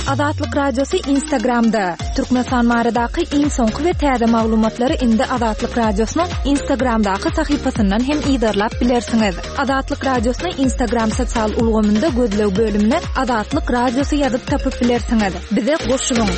Azatlyk Radiosy Instagramda! Türkmenistan baradaky iň soňky we täze maglumatlary indi Azatlyk Radiosynyň Instagramdaky sahypasyndan hem yzarlap bilersiňiz. Azatlyk Radiosyny Instagram sosial ulgamynda gözleg bölümine Azatlyk Radiosy ýazyp tapyp bilersiňiz. Bize goşulyň!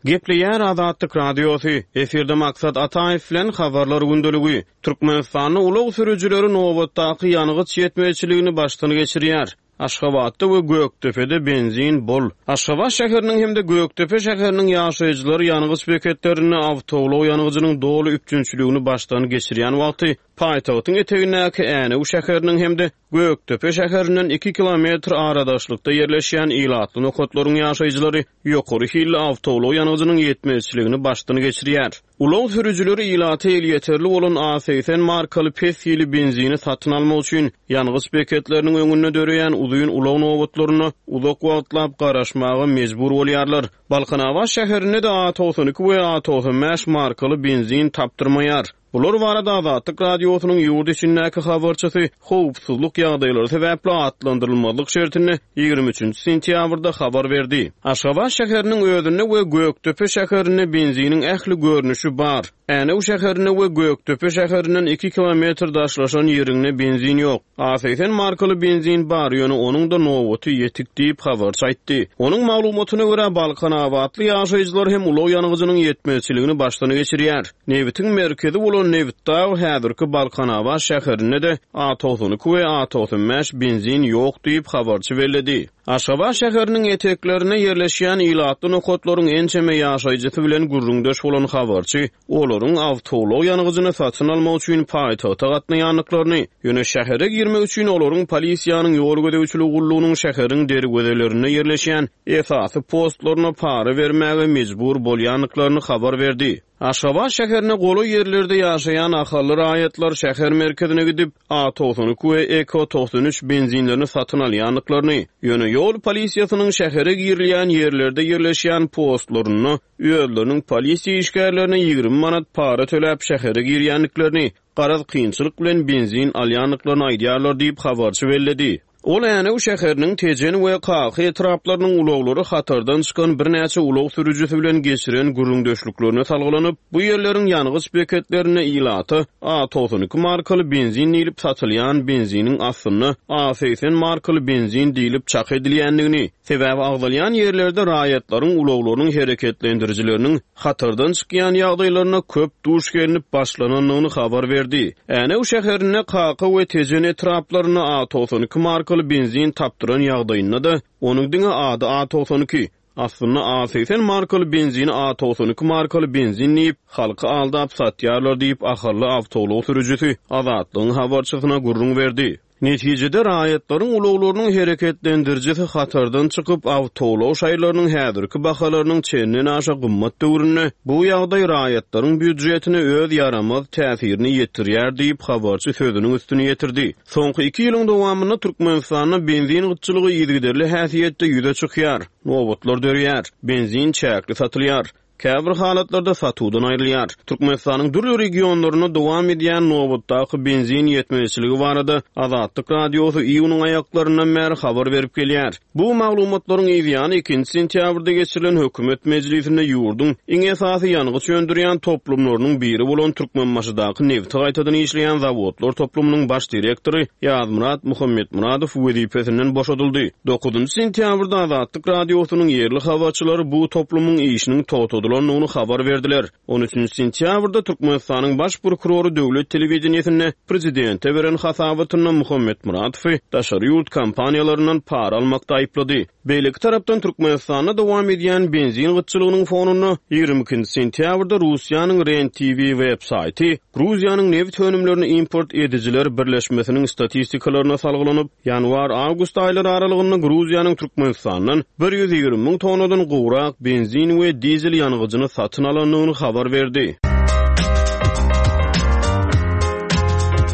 Gepleýär Azatlyk Radiosy, efirde Maksat Ataýew bilen Habarlar gündeligi. Türkmenistanda ulag sürüjileri nobatdaky ýangyç ýetmezçiligini başdan geçirýär. Aşgabatda we Gökdepede benzin bol. Aşgabat şäheriniň hem-de Gökdepe şäheriniň ýaşaýjylary ýangyç beketlerinde awtoulag ýangyjynyň doly üpjünçiligini başdan geçirýän wagty, paýtagtyň etegindäki Änew şäheriniň hem-de Gökdepe şäherinden iki kilometr aradaşlykda ýerleşýän ilatly nokatlaryň ýaşaýjylary ýokary hilli awtoulag ýangyjynyň ýetmezçiligini başdan geçirýär. Ulag sürüjileri ilata elýeterli bolan A 80 markaly pes hili benzini satyn almak üçin ýangyç beketleriniň öňünde döreýän uzyn ulag nobatlaryna uzak wagtlap garaşmaga mejbur bolýarlar. Balkanabat şäherinde-de A 92 we A 95 markaly benzin tapdyrmaýar. Bular barada Azatlyk Radiosynyň ýurt içindäki habarçysy howpsuzlyk ýagdaýlary sebäpli atlandyrylmazlyk şertinde 23 sentýabrda habar berdi. Aşgabat şäheriniň özünde we Gökdepe şäherinde benziniň ähli görnüşi bar. Änew şäherinde we Gökdepe şäherinden iki kilometr daşlaşan ýeriňde benzin ýok. A 80 markaly benzin bar, ýöne onuň-da nobaty ýetik diýip, habarçy aýtdy. Onuň maglumatyna görä, balkanabatly ýaşaýjylar hem ulag ýangyjynyň ýetmezçiligini başdan geçirýär. Nebitiň merkezi bolan Nebitdag häzirki Balkanabat şäherinde-de A 92 we A 95 benzin ýok diýip, habarçy belledi. Aşgabat şäheriniň eteklerinde ýerleşýän ilatly nokatlaryň ençeme ýaşaýjysy bilen gürrüňdeş bolan habarçy olaryň awtoulag ýangyjyny satyn almak üçin paýtagta gatnaýandyklaryny, ýöne şähere girmek üçin olaryň polisiýanyň ýol gözegçiligi gullugynyň şäheriň derwezelerinde ýerleşýän esasy postlaryna para bermäge mejbur bolýandyklaryny habar berdi. Aşgabat şäherine golaý ýerlerde ýaşaýan ahally raýatlar şäher merkezine gidip, A 92 we Eko 93 benzinlerini satyn alýandyklaryny, ýöne ýol polisiýasynyň şähere girilýän ýerlerde ýerleşýän postlarynda özleriniň polisiýa işgärlerine 20 manat para töläp şähere girýändiklerini, garaz kynçylyk bilen benzin alýandyklaryny aýdýarlar diýip, habarçy belledi. Ol Änew şäheriniň Tejen we Kaka etraplarynyň ulaglary hatardan çykan birnäçe ulag sürüjisi bilen geçiren gürrüňdeşliklerine salgylanyp, bu ýerleriň ýangyç beketlerinde ilata A 92 markaly benzin diýlip satylýan benziniň aslynda A 80 markaly benzin diýlip çak edilýändigini, sebäbi agzalýan ýerlerde raýatlaryň ulaglarynyň hereketlendirijileriniň hatardan çykýan ýagdaýlaryna köp duş gelnip başlanandygyny habar berdi. Änew şäherinde Kaka we Tejen etraplarynda A 92 markaly benzin tapdyran ýagdaýynda-da, onuň diňe ady A 92, aslynda A 80 markaly benzini A 92 markaly benzin diýip, halky aldap satýarlar diýip, ahally awtoulag sürüjisi Azatlygyň habarçysyna gürrüň berdi. Netijede, raýatlaryň ulaglarynyň hereketlendirijisi hatardan çykyp, awtoulag şaýlarynyň häzirki bahalarynyň çendenaşa gymmat döwründe bu ýagdaý raýatlaryň býujetine öz ýaramaz täsirini ýetirýär diýip, habarçy sözüniň üstüni ýetirdi. Soňky iki ýylyň dowamynda Türkmenistanda benzin gytçylygy yzygiderli häsiýetde ýüze çykýar, nobatlar döreýär, benzin çäkli satylýar. Käbir halatlarda satuwdan aýrylýar. Türkmenistanyň dürli regionlarynda dowam edýän nobatdaky benzin ýetmezçiligi barada Azatlyk Radiosy iýunyň aýaklaryndan bäri habar berip gelýär. Bu maglumatlaryň yzýany ikinji sentýabrda geçirilen hökümet mejlisinde ýurduň iň esasy ýangyç öndürýän toplumlarynyň biri bolan Türkmenbaşydaky nebti gaýtadan işleýän zawodlar toplumynyň baş direktory Ýazmyrat Muhammetmyradow wezipesinden boşadyldy. Dokuzynjy sentýabrda Azatlyk Radiosynyň ýerli habarçylary bu toplumyň işiniň togtadylandygyny habar berdiler. On üçünji sentýabrda Türkmenistanyň Baş prokurory döwlet telewideniýesinde prezidente beren hasabatynda Muhammetmyradowy daşary ýurt kompaniýalaryndan para almakda aýyplady. Beýleki tarapdan Türkmenistanda dowam edýän benzin gytçylygynyň fonunda 22-nji sentýabrda Russiýanyň Ren TV web saýty Gruziýanyň nebit önümlerini import edijiler birleşmesiniň statistikalaryna salgylanyp, ýanwar-awgust aýlary aralygynda Gruziýanyň Türkmenistandan 120 müň tonnadan gowrak benzin we dizel ýangyjyny satyn alandygyny habar berdi.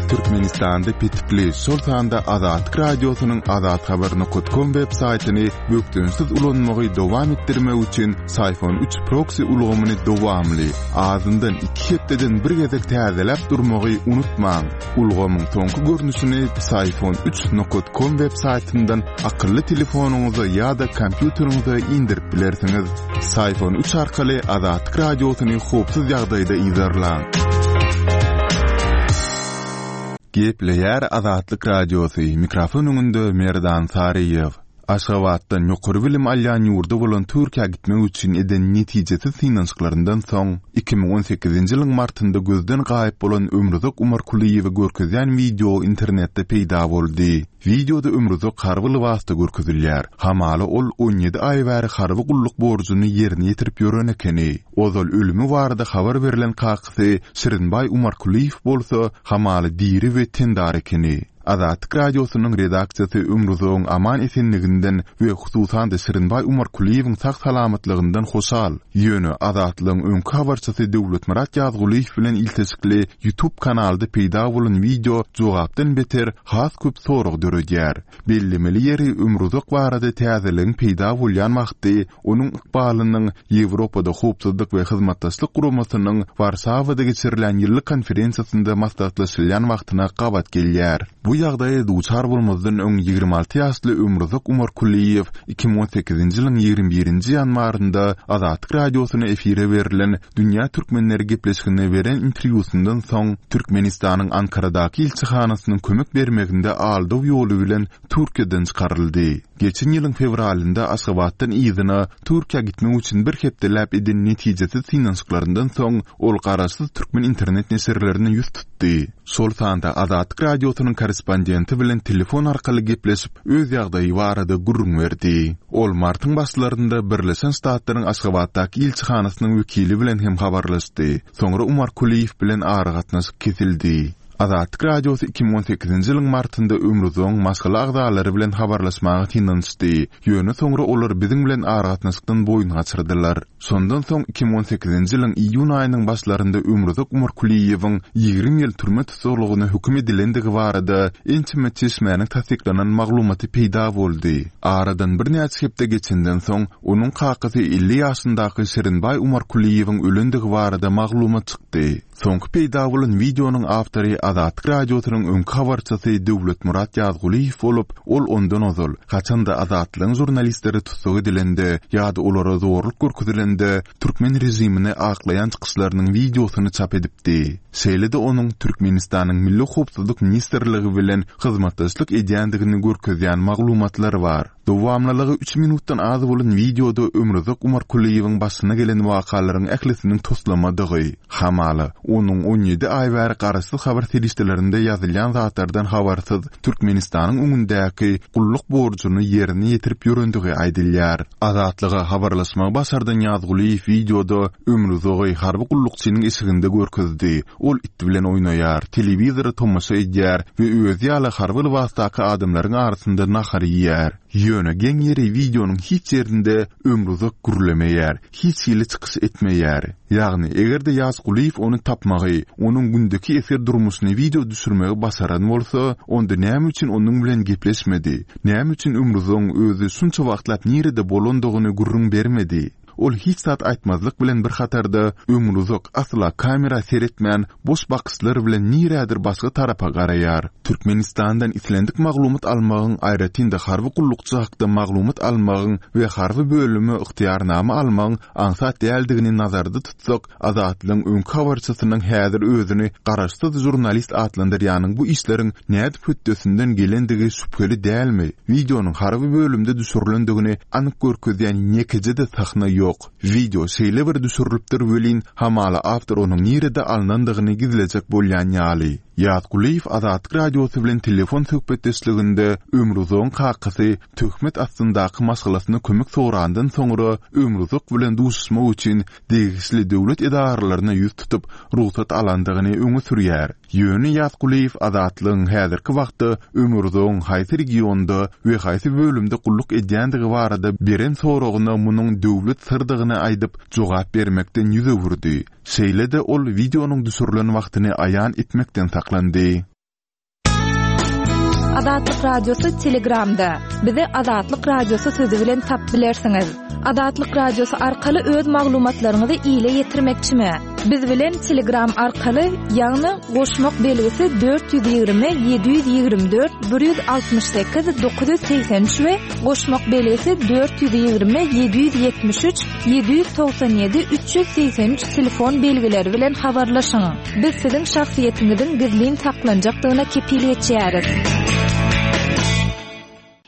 Türkmenistanda petikli, şol sanda Azatlyk Radiosynyň azathabar.com web saýtyny bökdençsiz ulanmagy dowam etdirmek üçin Syfon 3 proksi ulgamyny dowamly, azyndan iki hepdeden bir gezek täzeläp durmagy unutmaň. Ulgamyň soňky görnüşini Psiphon 3 nokat com web saýtyndan akylly telefonyňyza ýa-da kompýuteriňize indirip bilersiňiz. Psiphon 3 arkaly Azatlyk Radiosyny howpsuz ýagdaýda yzarlaň. Gepleýär Azatlyk Radiosy, mikrofon öňünde Merdan Saryýew. Aşgabatdan ýokary bilim alýan ýurdy bolan Türkiýä gitmek üçin eden netijesiz synanyşyklaryndan soň, 2018-nji ýylyň martynda gözden gaýyp bolan Ömruzak Umarkulyýewi görkezýän wideo internetde peýda boldy. Wideoda Ömruzak harby lybasda görkezilýär. Hamala ol 17 aý bäri harby gulluk borjuny ýerine ýetirip ýören ekeni. Ozal ölümi barada habar berlen kakasy Şirinbaý Umarkulyýew bolsa hamala diri we tendar ekeni. Azatlyk Radiosynyň redaksiýasy Ömrüzogyň aman-esenliginden we hususan-da Şirinbaý Umarkulyýewiň sag-salamatlygyndan hoşal. Ýöne Azatlygyň öňki habarçysy Döwletmyrat Ýazgulyýew bilen ilteşikli YouTube kanalda peýda bolan wideo jogapdan beter has köp sorag döredýär. Bellemeli ýeri Ömruzak barada täzeligiň peýda bolýan wagty onuň ykbalynyň Ýewropada Howpsuzlyk we Hyzmatdaşlyk Guramasynyň Warşawada geçirilýän ýyllyk konferensiýasynda maslahatlaşylýan wagtyna gabat gelýär. Bu ýagdaýa duçar bolmazdan öň 26 ýaşly Ömruzak Umarkulyýew 2018-nji ýylyň 21-nji ýanwarynda Azatlyk Radiosyna efire berlen Dünýä türkmenleri gepleşiginde beren interwýusyndan soň Türkmenistanyň Ankaradaky ilçihanasynyň kömek bermeginde aldaw ýoly bilen Türkiýeden çykaryldy. Geçen ýylyň fewralynda Aşgabatdan yzyna Türkiýä gitmek üçin bir hepdeläp eden netijesiz synanyşyklaryndan soň, ol garaşsyz türkmen internet neşirlerine ýüz tutdy. Şol sanda Azatlyk Radiosynyň korrespondenti bilen telefon arkaly gepleşip, öz ýagdaýy barada gürrüň berdi. Ol martyň başlarynda Birleşen Ştatlaryň Aşgabatdaky ilçihanasynyň wekili bilen hem habarlaşdy. Soňra Umar Kulyýew bilen aragatnaşyk kesildi. Azatlyk Radiosy 2018-nji ýylyň martynda Ömrüzogyň maşgala agzalary bilen habarlaşmaga synanyşdy, ýöne soňra olar biziň bilen aragatnaşykdan boýun gaçyrdylar. Şondan soň 2018-nji ýylyň iýun aýynyň başlarynda Ömrüzok Umarkulyýewiň 20 ýyl türme tussaglygyna höküm edilendigi barada ençeme çeşmäniň tassyklanan maglumaty peýda boldy. Aradan birnäçe hepde geçenden soň, onuň kakasy 50 ýaşyndaky Şirinbaý Umarkulyýewiň ölendigi barada maglumat çykdy. Soňky peýda bolan wideonyň awtory Azatlyk Radiosynyň öňki habarçysy Döwletmyrat Ýazgulyýew bolup, ol ondan ozal, haçan-da Azatlygyň žurnalistleri tussag edilende ýa-da olara zorluk görkezilende türkmen režimini aklaýan çykyşlarynyň wideosyny çap edipdi. Şeýle-de onuň Türkmenistanyň Milli howpsuzlyk ministrligi bilen hyzmatdaşlyk edýändigini görkezýän maglumatlar bar. Dowamlylygy üç minutdan az bolan wideoda Ömruzak Umarkulyýewiň başyna gelen wakalaryň ählisiniň toslamadygy, hamala, onuň 17 aý bäri garaşsyz habar serişdelerinde ýazylýan zatlardan habarsyz Türkmenistanyň öňündäki gulluk borjuny ýerine ýetirip ýörendigi aýdylýar. Azatlyga habarlaşmagy başardan Ýazgulyýew wideoda Ömruzagy harby gullukçynyň eşiginde görkezdi. Ol it bilen oýnaýar, telewizora tomaşa edýär we özi ýaly harby lybasdaky adamlaryň arasynda nahar iýýär. Ýöne geň ýeri wideonyň hiç ýerinde Ömruzak gürlemeýär, hiç hili çykyş etmeýär. Ýagny, eger-de Ýazgulyýew ony tapmagy, onuň gündeki esger durmuşyny wideo düşürmegi başaran bolsa, onda näme üçin onuň bilen gepleşmedi? Näme üçin Ömruzagyň özi şunça wagtlap nirede bolandygyny gürrüň bermedi? Ol hiç zat aýtmazlyk bilen bir hatarda Ömruzak asla kamera seretmän boş bakyşlar bilen nirädir başga tarapa garaýar. Türkmenistandan islendik maglumat almagyň aýratyn-da harby gullukçy hakda maglumat almagyň we harby bölüme ygtyýarnama almagyň aňsat däldigini nazarda tutsak Azatlygyň öňki habarçysynyň häzir özüni garaşsyz žurnalist atlandyrýanyň bu işleriň nädip hötdesinden gelendigi şübheli dälmi? Wideonyň harby bölümde düşürilendigini anyk görkezýän ýekeje-de sahna ýok. Wideo şeýle bir düşürilipdir welin, hamala awtor onuň nirede alnandygyny gizlejek bolýan ýaly. Ýazgulyýew Azatlyk Radiosy bilen telefon söhbetdeşliginde Ömrüzogyň kakasy töhmet astyndaky maşgalasyna kömek sorandan soňra Ömruzak bilen duşuşmak üçin degişli döwlet edaralaryna ýüz tutup, rugsat alandygyny öňe sürýär. Ýöne Ýazgulyýew Azatlygyň häzirki wagtda Ömürzogyň haýsy regionda we haýsy bölümde gulluk edýändigi barada beren soragyna munuň döwlet syrdygyny aýdyp, jogap bermekden ýüz öwürdi. Şeýle-de ol wideonyň düşürilen wagtyny aýan etmekden saklandy. Azatlyk Radiosy Telegramda. Bizi Azatlyk Radiosy sözi bilen tapyp bilersiňiz. Azatlyk Radiosy arkaly öz maglumatlaryňyzy ile ýetirmekçimi? Biz bilen Telegram arkaly, ýagny goşmak belgisi 420 724 168 983 we goşmak belgisi 420 773 797 383 telefon belgileri bilen habarlaşyň. Biz siziň şahsyýetiňiziň gizlin saklanjakdygyna kepil geçýäris.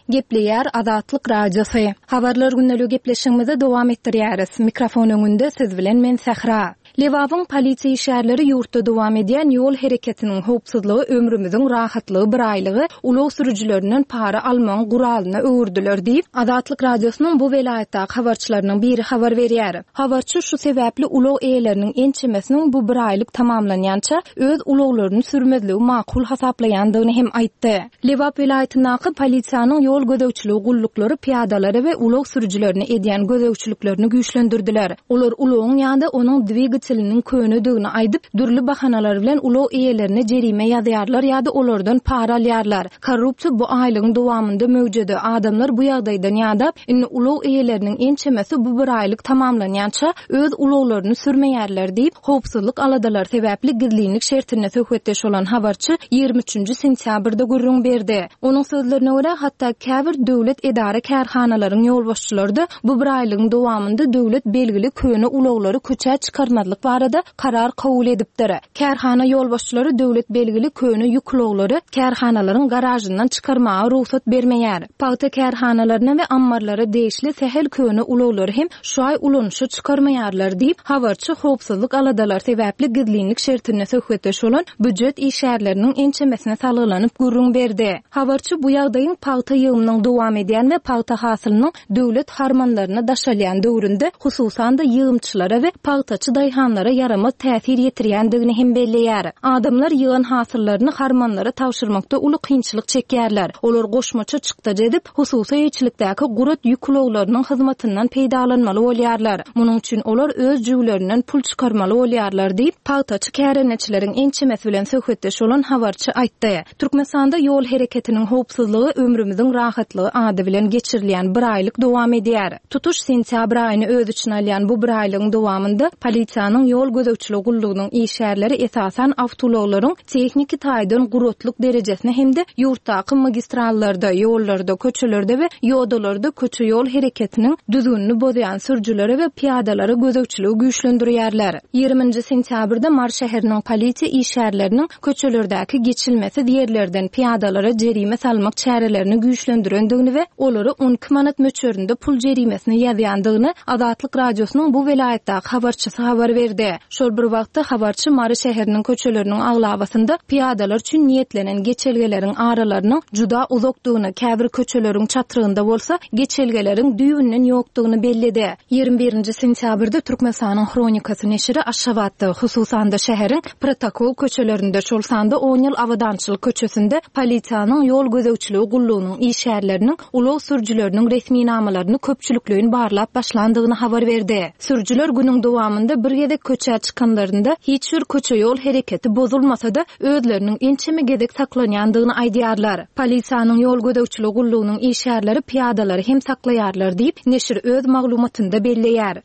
Gepleýär Azatlyk Radiosy. Habarlar gündeligi gepleşigimizi dowam etdirýäris. Mikrofon öňünde siz bilen men Sähra. Lebabyň polisiýa işgärleri ýurtda dowam edýän ýol hereketiniň howpsuzlygy ömrümiziň rahatlygy biraýlygy ulag sürüjilerinden para almagyň guralyna öwürdiler diýip, Azatlyk Radiosynyň bu welaýatdaky habarçylarynyň biri habar berýär. Habarçy şu sebäpli ulag eýeleriniň ençemesiniň bu biraýlyk tamamlanýança öz ulaglaryny sürmezligi makul hasaplaýandygyny hem aýtdy. Lebap welaýatyndaky polisiýanyň ýol gözegçiligi gulluklary pyýadalara we ulag sürüjilerine edýän gözegçiliklerini güýçlendirdiler. Olar ulagyň ýa-da onuň dwigateliniň könedigini aýdyp, dürli bahanalar bilen ulag eýelerine jerime ýazýarlar ýa-da olardan para alýarlar. Korrupsiýa bu aýlygyň dowamynda möwjedi. Adamlar bu ýagdaýdan ýadap, indi ulag eýeleriniň ençemesi bu bir aýlyk tamamlanýança öz ulaglaryny sürmeýärler diýip, howpsuzlyk aladalary sebäpli gizlinlik şertinde söhbetdeş bolan habarçy 23 nji sentýabrda gürrüň berdi. Onuň sözlerine görä, hatda käbir döwlet edara-kärhanalaryň ýolbaşçylary-da bu bir aýlygyň dowamynda döwlet belgili köne ulaglary köçä çykarmazlyk barada karar kabul edipdir. Kärhana ýolbaşçylary döwlet belgili köne ýük ulaglary kärhanalaryň garažyndan çykarmaga rugsat bermeýär. Pagta kärhanalaryna we ammarlara degişli sähel köne ulaglary hem şu aý ulanyşa çykarmaýarlar diýip, habarçy howpsuzlyk aladalary sebäpli gizlinlik şertinde söhbetdeş bolan býujet işgärleriniň ençemesine salgylanyp gürrüň berdi. Habarçy bu ýagdaýyň pagta ýygymynyň dowam edýän we pagta hasylynyň döwlet harmanlaryna daşalýan döwründe, hususan-da, ýygymçylara we pagtaçy daýhanlara ýaramaz täsir ýetirýändigini hem belleýär. Adamlar ýygan hasyllaryny harmanlara tabşyrmakda uly kynçylyk çekýärler. Olar goşmaça çykdajy edip, hususy eýeçilikdäki gurat ýük ulaglarynyň hyzmatyndan peýdalanmaly bolýarlar. Munuň üçin olar öz jübülerinden pul çykarmaly bolýarlar diýip, pagtaçy kärendeçileriň ençemesi bilen söhbetdeş bolan habarçy aýtdy. Türkmenistanda ýol hereketiniň howpsuzlygy ömrümiziň rahatlygy ady bilen geçirilýän biraýlyk dowam edýär. Tutuş sentýabr aýyny öz içine alýan bu biraýlygyň dowamynda polisiýanyň ýol gözegçiligi gullugynyň işgärleri esasan awtoulaglaryň tehniki taýdan guratlyk derejesine hem-de ýurtdaky magistrallarda, ýollarda, köçelerde we ýodalarda köçe-ýol hereketiniň düzgünini bozýan sürüjilere we pyýadalara gözegçiligi güýçlendirýärler. Ýigriminji sentýabrda Mary şäheriniň polisiýa işgärleriniň köçelerdäki geçilmesiz ýerlerden pyýadalara jerime salmak çärelerini güýçlendirendigini we olara 12 manat möçberinde pul jerimesini ýazýandygyny Azatlyk Radiosynyň bu welaýatdaky habarçysy habar berdi. Şol bir wagtda, habarçy Mary şäheriniň köçeleriniň aglabasynda pyýadalar üçin niýetlenen geçelgeleriň aralarynyň juda uzakdygyny, käbir köçeleriň çatrygynda bolsa geçelgeleriň düýbünden ýokdugyny belledi. 21 nji sentýabrda Türkmenistanyň Hronikasy neşiri Aşgabatda, hususan-da şäheriň Protokol köçelerinde, şol sanda On ýyl Abadançylyk köçesinde polisiýanyň ýol gözegçiligi gullugynyň işgärleriniň ulag sürüjileriniň resminamalaryny köpçülikleýin barlap başlandygyny habar berdi. Sürüjiler günüň dowamynda bir gezek köçä çykanlarynda hiç bir köçe-ýol hereketi bozulmasa-da, özleriniň ençeme gezek saklanýandygyny aýdýarlar. Polisiýanyň ýol gözegçiligi gullugynyň işgärleri pyýadalary hem saklaýarlar diýip, neşir öz maglumatynda belleýär.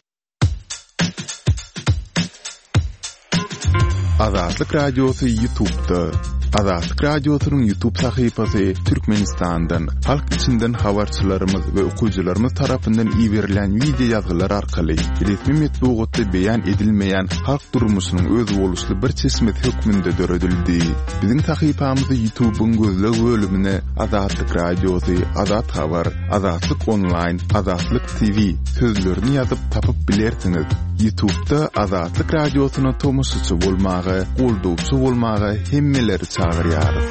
Azatlyk Radiosy Ýutubda. Azatlyk Radiosynyň Ýutub sahypasy Türkmenistandan, halk içinden habarçylarymyz we okyjylarymyz tarapyndan iberilen wideo ýazgylar arkaly resmi metbugatda beýan edilmeýän halk durmuşynyň özboluşly bir çeşmesi hökmünde döredildi. Biziň sahypamyzy Ýutubyň gözleg bölümine Azatlyk Radiosy, Azat Habar, Azatlyk Onlaýn, Azatlyk TV sözlerini ýazyp tapyp bilersiňiz. Ýutubda Azatlyk Radiosyna tomaşaçy bolmaga, goldawçy bolmaga hemmeleri çagyrýarys.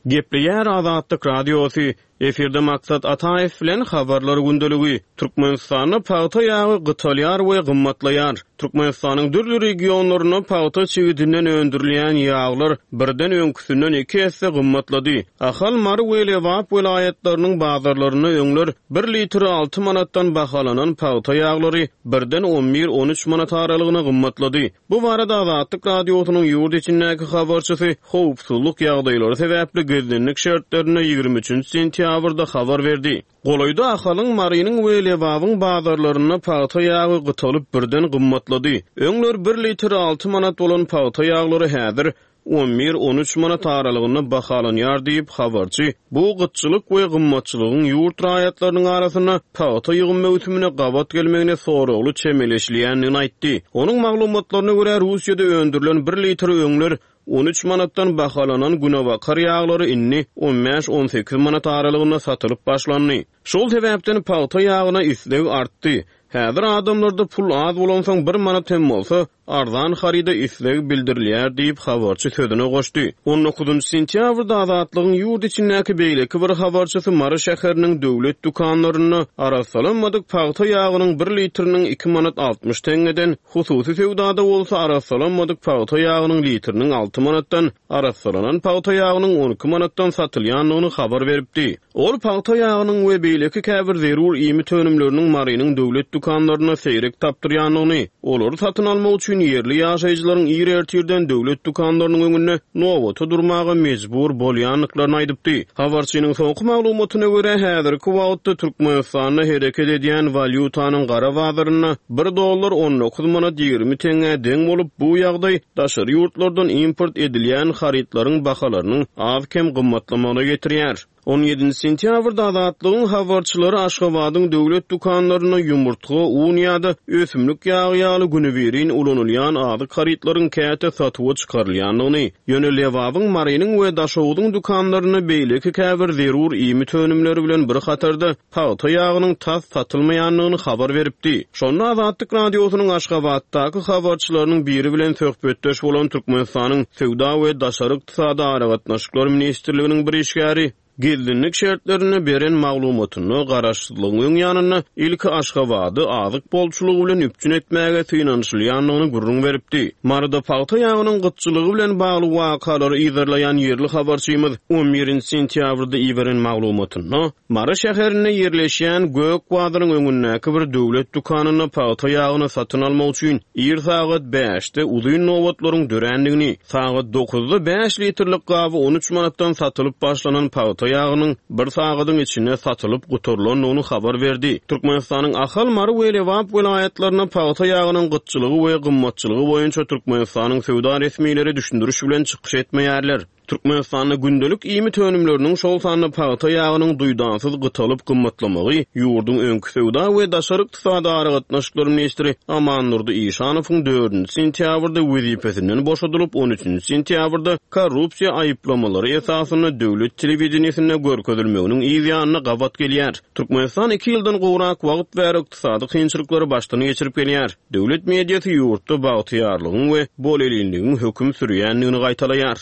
Gepleýär Azatlyk Radiosy. Efirde Maksat Ataýew bilen Habarlar gündeligi. Türkmenistanda pagta ýagy gytalýar we gymmatlaýar. Türkmenistanyň dürli regionlarynda pagta çigidinden öndürilýän ýaglar birden öňküsinden iki esse gymmatlady. Ahal, Mary we Lebap welaýatlarynyň bazarlarynda öňler bir litri alty manatdan bahalanan pagta ýaglary birden on bir, on üç manat aralygyna gymmatlady. Bu barada Azatlyk Radiosynyň ýurt içindäki habarçysy howpsuzlyk ýagdaýlary sebäpli gizlinlik şertlerinde 23 sentýabrda habar berdi. Golaýda Ahalyň, Marynyň we Lebabyň bazarlarynda pagta ýagy gytalyp birden gymmatlady. Öňler bir litri alty manat bolan pagta ýaglary häzir on bir, on üç manat aralygynda bahalanýar diýip, habarçy bu gytçylyk we gymmatçylygyň ýurt raýatlarynyň arasynda pagta ýygym möwsümine gabat gelmegine soragly çemeleşilýändigini aýtdy. Onuň maglumatlaryna görä, Russiýada öndürilen bir litr öňler on üç manatdan bahalanan günebakar ýaglary indi on bäş, on sekiz manat aralygynda satylyp başlandy. Şol sebäpden pagta ýagyna isleg artdy. Häzir adamlarda pul az bolansoň bir manat hem bolsa, arzan haryda isleg bildirilýär diýip, habarçy sözüne goşdy. On dokuzynjy sentýabrda Azatlygyň ýurt içindäki beýleki bir habarçysy Mary şäheriniň döwlet dükanlarynda arassalanmadyk pagta ýagynyň bir litriniň iki manat 60 teňňeden, hususy söwdada bolsa arassalanmadyk pagta ýagynyň litriniň alty manatdan, arassalanan pagta ýagynyň 12 manatdan satylýandygyny habar beripdi. Ol pagta ýagynyň we beýleki käbir zerur iýmit önümleriniň Marynyň döwlet dükanlarynda seýrek tapdyrýandygyny, olary satyn almak üçin ýerli ýaşaýjylaryň ir ertirden döwlet dükanlarynyň öňünde nobata durmaga mejbur bolýandyklaryny aýdypdy. Habarçynyň soňky maglumatyna görä, häzirki wagtda Türkmenistanda hereket edýän walýutanyň gara bazarynda bir dollar 19 manat 20 teňňä deň bolup, bu ýagdaý daşary ýurtlardan import edilýän harytlaryň bahalarynyň az-kem gymmatlamagyna getirýär. On ýedinji sentýabrda Azatlygyň habarçylary Aşgabadyň döwlet dükanlarynda ýumurtga, un ýa-da ösümlik ýagy ýaly günübirin ulanylýan azyk harytlaryň käte satuwa çykarylýandygyny, ýöne Lebabyň, Marynyň we Daşogzuň dükanlarynda beýleki käbir zerur iýmit önümleri bilen bir hatarda pagta ýagynyň tas satylmaýandygyny habar beripdi. Şonda Azatlyk Radiosynyň Aşgabatdaky habarçylarynyň biri bilen söhbetdeş bolan Türkmenistanyň Söwda we daşary ykdysady aragatnaşyklar ministrliginiň bir işgäri gizlinlik şertlerinde beren maglumatynda garaşsyzlygyň öň ýanynda ilki Aşgabady azyk bolçulygy bilen üpjün etmäge synanyşylýandygyny gürrüň beripdi. Maryda pagta ýagynyň gytçylygy bilen bagly wakalary yzarlaýan ýerli habarçymyz on birinji sentýabrda iberen maglumatynda Mary şäherinde ýerleşýän Gök bazaryň öňündäki bir döwlet dükanynda pagta ýagyny satyn almak üçin ir sagat bäşde uzyn nobatlaryň dörändigini, sagat dokuzda bäş litrlik gaby on üç manatdan satylyp başlanan pagta ýagynyň bir sagadyň içinde satylyp gutarylandygyny habar berdi. Türkmenistanyň Ahal, Mary we Lebap welaýatlarynda pagta ýagynyň gytçylygy we gymmatçylygy boýunça Türkmenistanyň söwda resmileri düşündiriş bilen çykyş etmeýärler. Türkmenistanda gündelik iýmit önümleriniň, şol sanda pagta ýagynyň duýdansyz gytalyp gymmatlamagy ýurduň öňki söwda we daşary ykdysady aragatnaşyklar ministri Amandurdy Işanowyň dördünji sentýabrda wezipesinden boşadylyp, on üçünji sentýabrda korrupsiýa aýyplamalary esasynda döwlet telewideniýesinde görkezilmeginiň yz ýanyna gabat gelýär. Türkmenistan iki ýyldan gowrak wagt bäri ykdysady kynçylyklary başdan geçirip gelýär. Döwlet mediasy ýurtda bagtyýarlygyň we bolelinligiň höküm sürýändigini gaýtalaýar.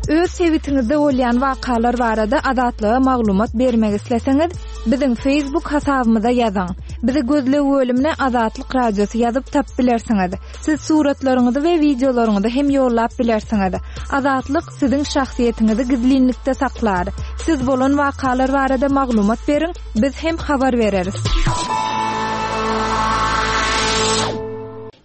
Öz sebitiňizde bolýan wakalar barada Azatlyga maglumat bermek isleseňiz, biziň Facebook hasabymyza ýazyň. Bizi gözleg bölümine Azatlyk Radiosy ýazyp tapyp bilersiňiz. Siz suratlaryňyzy we wideolaryňyzy hem ýollap bilersiňiz. Azatlyk siziň şahsyýetiňizi gizlinlikde saklar. Siz bolan wakalar barada maglumat beriň, biz hem habar bereris.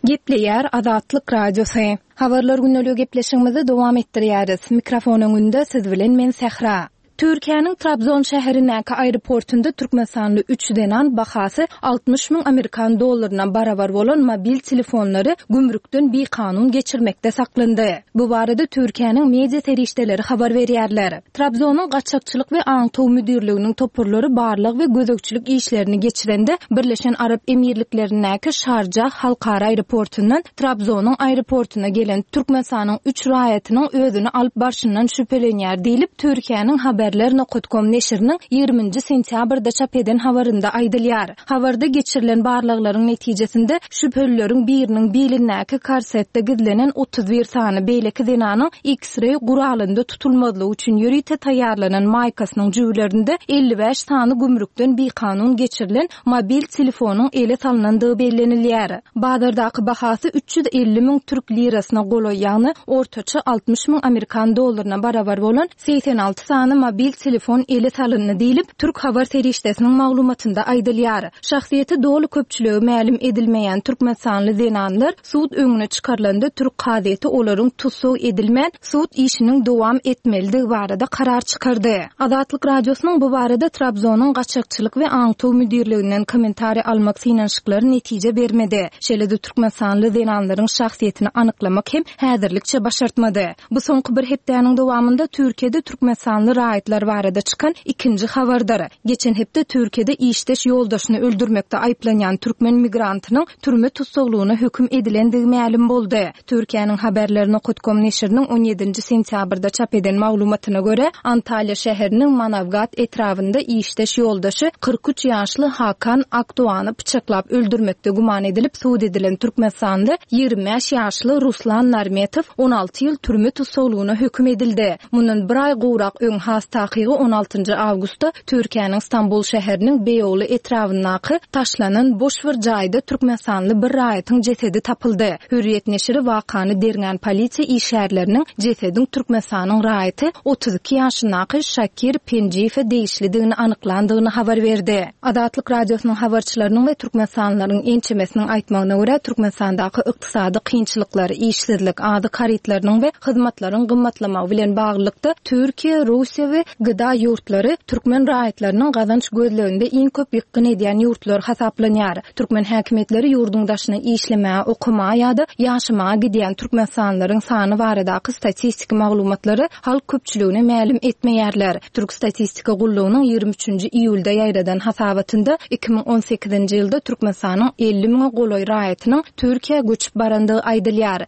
Gepleýär Azatlyk Radiosy. Habarlar gündeligi gepleşigimizi dowam etdirýäris. Mikrofon öňünde siz bilen men Sähra. Türkiýäniň Trabzon şäherindäki aeroportunda türkmenistanly üç zenan bahasy 60 müň amerikan dollaryna barabar bolan mobil telefonlary gümrükden bikanun geçirmekde saklandy. Bu barada Türkiýäniň media serişdeleri habar berýärler. Trabzonyň gaçakçylyk we aňtaw müdirliginiň toparlary barlag we gözegçilik işlerini geçirende Birleşen Arap Emirliklerindäki Şarjah halkara aeroportundan Trabzonyň aeroportuna gelen Türkmenistanyň üç raýatynyň özüni alyp barşyndan şübhelenýär diýlip, Türkiýäniň Haber. Haberler nokat kom neşiriniň ýigriminji sentýabrda çap eden habarynda aýdylýar. Habarda geçirilen barlaglaryň netijesinde şübhelileriň biriniň bilindäki korsetde gizlenen 31 sany beýleki zenanyň X-reý guralynda tutulmazlygy üçin ýörite taýýarlanan maýkasynyň jübülerinde 55 sany gümrükden bikanun geçirilen mobil telefonyň ele salnandygy bellenilýär. Bazardaky bahasy 350 müň türk lirasyna golaý, ýagny ortaça 60 müň amerikan dollaryna barabar bolan 86 sany mobil telefon ele salyndy diýlip, türk habar serişdesiniň maglumatynda aýdylýar. Şahsyýeti doly köpçülige mälim edilmeýän türkmenistanly zenanlar sud öňüne çykarylanda türk kazyýeti olaryň tussag edilmän, sud işiniň dowam etmelidigi barada karar çykardy. Azatlyk Radiosynyň bu barada Trabzonyň gaçakçylyk we aňtaw müdirliginden kommentariý almak synanyşyklary netije bermedi. Şeýle-de türkmenistanly zenanlaryň şahsyýetini anyklamak hem häzirlikçe başartmady. Bu soňky bir hepdäniň dowamynda Türkiýede türkmenistanly raýatlar barada çykan ikinji habardyr. Geçen hepde Türkiýede işdeş ýoldaşyny öldürmekde aýyplanýan türkmen migrantynyň türme tussaglygyna höküm edilendigi mälim boldy. Türkiýäniň Haberler nokat kom neşiriniň on ýedinji sentýabrda çap eden maglumatyna görä, Antalýa şäheriniň Manawgat etrabynda işdeş ýoldaşy 43 ýaşly Hakan Akdoany pyçaklap öldürmekde güman edilip sud edilen türkmenistanly 25 ýaşly Ruslan Narmetow 16 ýyl türme tussaglygyna höküm edildi. Mundan bir aý gowrak öň, has takygy on altynjy awgustda Türkiýäniň Stambul şäheriniň Beýogly etrabyndaky taşlanan boş bir jaýda türkmenistanly bir raýatyň jesedi tapyldy. Hürriýet neşiri wakany derňän polisiýa işgärleriniň jesediň Türkmenistanyň raýaty 32 ýaşyndaky Şakir Penjiýewe degişlidigini anyklandygyny habar berdi. Azatlyk Radiosynyň habarçylarynyň we türkmenistanlylaryň ençemesiniň aýtmagyna görä, Türkmenistandaky ykdysady kynçylyklar, işsizlik, azyk harytlarynyň we hyzmatlaryň gymmatlamagy bilen baglylykda, Türkiýe, Russiýa we GDA ýurtlary türkmen raýatlarynyň gazanç gözleginde iň köp ýykgyn edýän ýurtlar hasaplanýar. Türkmen häkimiýetleri ýurduň daşyna işlemäge, okamaga ýa-da ýaşamaga gidýän türkmenistanlylaryň sany baradaky statistiki maglumatlary halk köpçüligine mälim etmeýärler. Türk statistika gullugynyň 23-nji iýulda ýaýradan hasabatynda 2018-nji ýylda Türkmenistanyň 50 müňe golaý raýatynyň Türkiýä göçüp barandygy aýdylýar.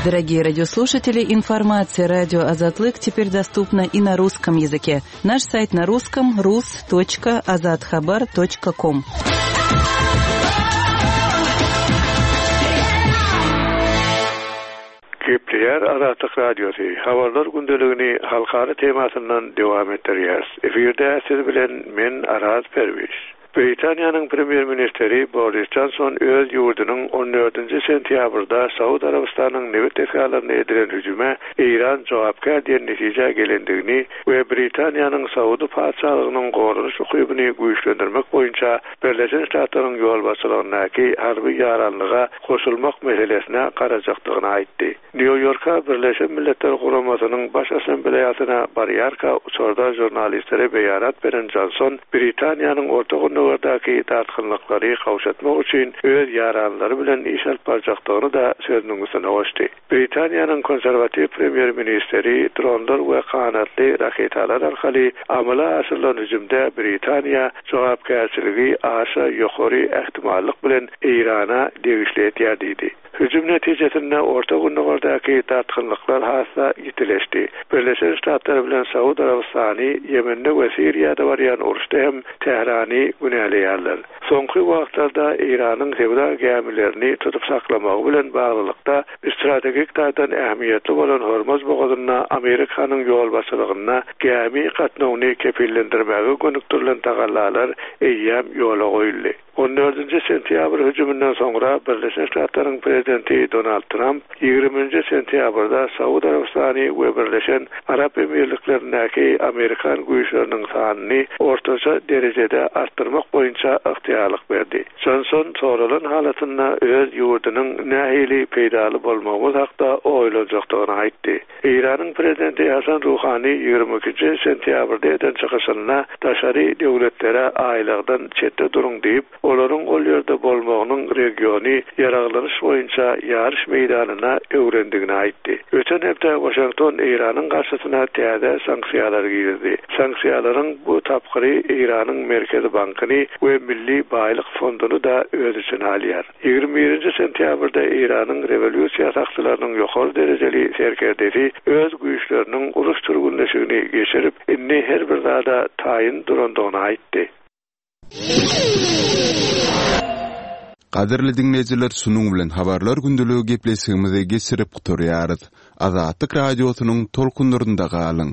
Дорогие радиослушатели, информация радио Азатлык теперь доступна и на русском языке. Наш сайт на русском rus.azathabar.com. Gepleýär Azatlyk Radiosy, Habarlar gündeligini halkara temasyndan dowam etdirýäris. Efirde siz bilen men Araz Perwiş. Britaniýanyň Premýer-ministri Boris Jonson öz ýurdunyň on dördünji sentýabrda Saud Arabystanynyň nebit desgalaryna edilen hüjüme Eýran jogapkär diýen netijä gelendigini we Britaniýanyň Saudy Patyşalygynyň goranyş ukybyny güýçlendirmek boýunça Birleşen Ştatlaryň ýolbaşçylygyndaky harby ýaranlyga goşulmak meselesine garajakdygyny aýtdy. Nýu-Ýorka Birleşen Milletler Guramasynyň Baş Assambleýasyna barýarka uçarda žurnalistlere beýanat beren Jonson Britaniýanyň Orta Gündogardaky dartgynlyklary gowşatmak üçin öz ýaranlary bilen iş alyp barjakdygyny-da sözüniň üstüne goşdy. Britaniýanyň konserwatiw premýer-ministri dronlar we ganatly raketalar arkaly amala aşyrylan hüjümde Britaniýa jogapkärçiligi aşa ýokary ähtimallyk bilen Eýrana degişli edýär diýdi. Hüjüm netijesinde Orta Gündogardaky dartgynlyklar has-da ýitileşdi. Birleşen Ştatlar bilen Saud Arabystany Ýemende we Siriýada barýan uruşda hem Tährany günäleýärler. Soňky wagtlarda Eýranyň söwda gämilerini tutup saklamagy bilen baglylykda strategik taýdan ähmiýetli bolan Hormuz bogazynda Amerikanyň ýolbaşçylygynda gämi gatnawyny kepillendirmäge gönükdirilen tagallalar eýýäm ýola goýuldy. On dördünji sentýabr hüjüminden soňra Birleşen Ştatlaryň prezidenti Donald Tramp ýigriminji sentýabrda Saud Arabystany we Birleşen Arap Emirliklerindäki amerikan güýçleriniň sanyny ortaça derejede artdyrmak boýunça ygtyýarlyk berdi. Jonson soralan halatynda öz ýurdunyň nähili peýdaly bolmagymyz hakda oýlanjakdygyny aýtdy. Eýranyň prezidenti Hasan Ruhani 22-nji sentýabrda eden çykyşynda daşary döwletlere aýlagdan çetde duruň diýip, olaryň ol ýerde bolmagynyň regiony ýaraglanyş boýunça. boýunça ýaryş meýdanyna öwrendigini aýtdy. Öten hepde Waşington Eýranyň garşysyna täze sanksiýalary girizdi. Sanksiýalaryň bu tapgyry Eýranyň Merkezi bankyny we Milli baýlyk fonduny-da öz içine alýar. 21-nji sentýabrda Eýranyň rewolýusiýa sakçylarynyň ýokary derejeli serkerdesi öz güýçleriniň uruş türgünleşigini geçirip, indi her bir zada taýyn durandygyny aýtdy. Gadyrly diňleýjiler şunuň bilen Habarlar gündeligi gepleşigimizi geçirip gutarýarys. Azatlyk Radiosynyň tolkunlarynda galyň!